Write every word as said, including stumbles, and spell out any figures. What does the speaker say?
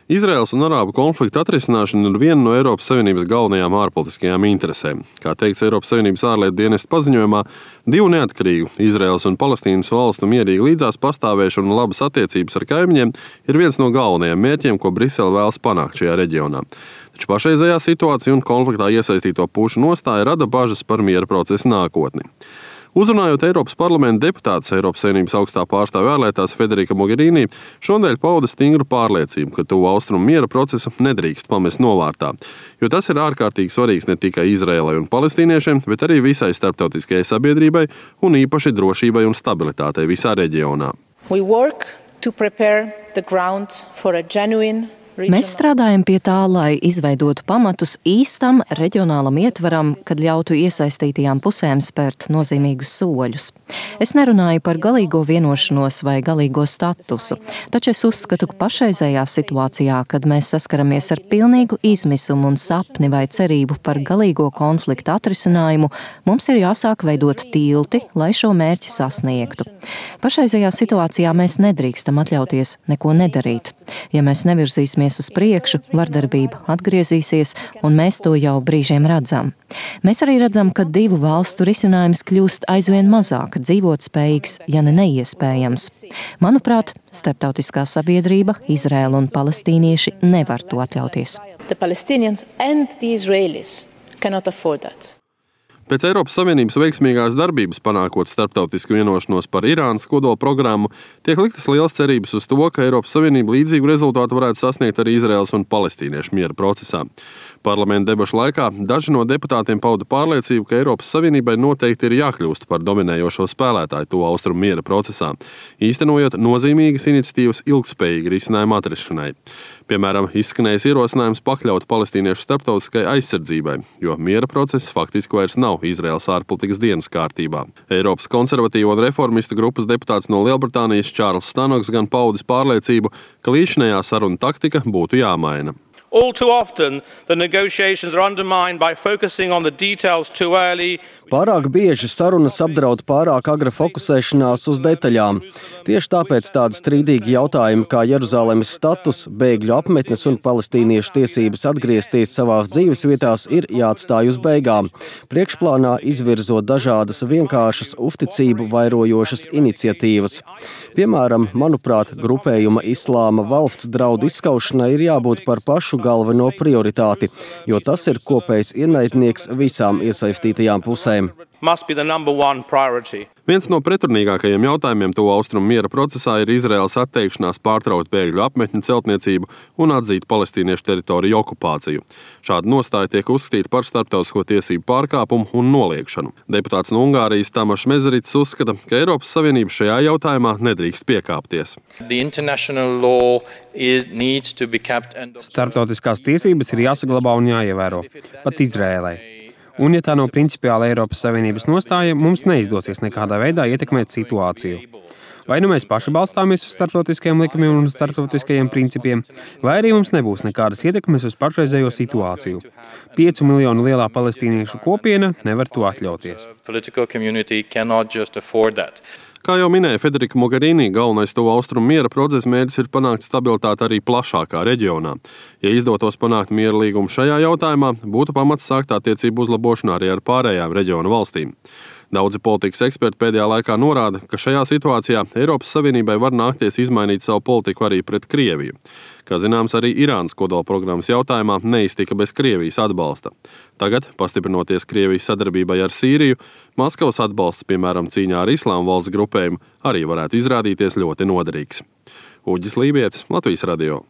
Izraēlas un arābu konflikta atrisināšana ir viena no Eiropas Savienības galvenajām ārpolitiskajām interesēm. Kā teikts Eiropas Savienības ārlietu dienesta paziņojumā, divu neatkarīgu Izraēlas un Palestīnas valstu mierīgi līdzās pastāvēšana un labas attiecības ar kaimiņiem ir viens no galvenajiem mērķiem, ko Brisele vēlas panākt šajā reģionā. Taču pašreizējā situācija un konfliktā iesaistīto pušu nostāja rada bažas par miera procesa nākotni. Uzrunājot Eiropas parlamenta deputātus, Eiropas Savienības augstā pārstāve ārlietās Federika Mogherini šonadēļ pauda stingru pārliecību, ka tuvu austrumu miera procesu nedrīkst pamest novārtā, jo tas ir ārkārtīgi svarīgs ne tikai Izraēlai un palestīniešiem, bet arī visai starptautiskajai sabiedrībai un īpaši drošībai un stabilitātei visā reģionā. We work to prepare the ground for a genuine Mēs strādājam pie tā, lai izveidotu pamatus īstam reģionālam ietvaram, kad ļautu iesaistītajām pusēm spērt nozīmīgus soļus. Es nerunāju par galīgo vienošanos vai galīgo statusu, taču es uzskatu, ka pašreizējā situācijā, kad mēs saskaramies ar pilnīgu izmisumu un sapni vai cerību par galīgo konfliktu atrisinājumu, mums ir jāsāk veidot tilti, lai šo mērķi sasniegtu. Pašreizējā situācijā mēs nedrīkstam atļauties neko nedarīt. Ja mēs nevirzīsimies uz priekšu, vardarbība atgriezīsies, un mēs to jau brīžiem redzam. Mēs arī redzam, ka divu valstu risinājums kļūst aizvien mazāk dzīvotspējīgs, ja ne neiespējams. Manuprāt, starptautiskā sabiedrība, Izraēla un palestīnieši nevar to atļauties. The Palestinians and the Israelis cannot afford that. Pēc Eiropas Savienības veiksmīgās darbības panākot starptautisku vienošanos par Irānas kodola programmu, tiek liktas liels cerības uz to, ka Eiropas Savienība līdzīgu rezultātu varētu sasniegt arī Izraēlas un palestīniešu miera procesā. Parlamenta debašu laikā daži no deputātiem pauda pārliecību, ka Eiropas Savienībai noteikti ir jākļūst par dominējošo spēlētāju tuvu austrumu miera procesā, īstenojot nozīmīgas iniciatīvas ilgtspējīgi risinājumu atrašanai. Piemēram, izskanējis ierosinājums pakļaut palestīniešu starptautiskai aizsardzībai, jo miera process faktiski vairs nav Izraēlas ārpolitikas dienas kārtībā. Eiropas konservatīvo un reformistu grupas deputāts no Lielbritānijas Čārls Stanoks gan paudis pārliecību, ka līdzinējā saruna taktika būtu jāmaina. All too often, the negotiations are undermined by focusing on the details too early. Pārāk bieži sarunas apdraud pārāk agra fokusēšanās uz detaļām. Tieši tāpēc tādi strīdīgi jautājumi kā Jeruzalemes status, bēgļu apmetnes un palestīniešu tiesības atgriezties savās dzīvesvietās ir jāatstāj uz beigām, priekšplānā izvirzot dažādas vienkāršas uzticību vairojošas iniciatīvas. Piemēram, manuprāt, grupējuma Islāma valsts draudu izskaušanai ir jābūt par pašu galveno prioritāti, jo tas ir kopējs ienaidnieks visām iesaistītajām pusēm. Must be the number one priority. Viens no pretrunīgākajiem jautājumiem tuvu austrumu miera procesā ir Izraēlas atteikšanās pārtraukt bēgļu apmetņu celtniecību un atzīt palestīniešu teritoriju okupāciju. Šāda nostāja tiek uzskatīta par starptautisko tiesību pārkāpumu un noliegšanu. Deputāts no Ungārijas Tamašs Mezerits uzskata, ka Eiropas Savienība šajā jautājumā nedrīkst piekāpties. Starptautiskās tiesības ir jāsaglabā un jāievēro, pat Izraēlai. Un, ja tā nav principiāla Eiropas Savienības nostāja, mums neizdosies nekādā veidā ietekmēt situāciju. Vai nu mēs paši balstāmies uz starptautiskajiem likumiem un starptautiskajiem principiem, vai arī mums nebūs nekādas ietekmes uz pašreizējo situāciju. Piecu miljonu lielā palestīniešu kopiena nevar to atļauties. Kā jau minēja Federika Mogherini, galvenais tuvu austrumu miera procesa mērķis ir panākt stabilitāti arī plašākā reģionā. Ja izdotos panākt miera līgumu šajā jautājumā, būtu pamats sākt attiecību uzlabošanu arī ar pārējām reģiona valstīm. Daudzi politikas eksperti pēdējā laikā norāda, ka šajā situācijā Eiropas Savienībai var nākties izmainīt savu politiku arī pret Krieviju. Kā zināms, arī Irānas kodola programmas jautājumā neiztika bez Krievijas atbalsta. Tagad, pastiprinoties Krievijas sadarbībai ar Sīriju, Maskavas atbalsts, piemēram, cīņā ar Islāma valsts grupējumu, arī varētu izrādīties ļoti noderīgs. Uģis Lībietis, Latvijas radio.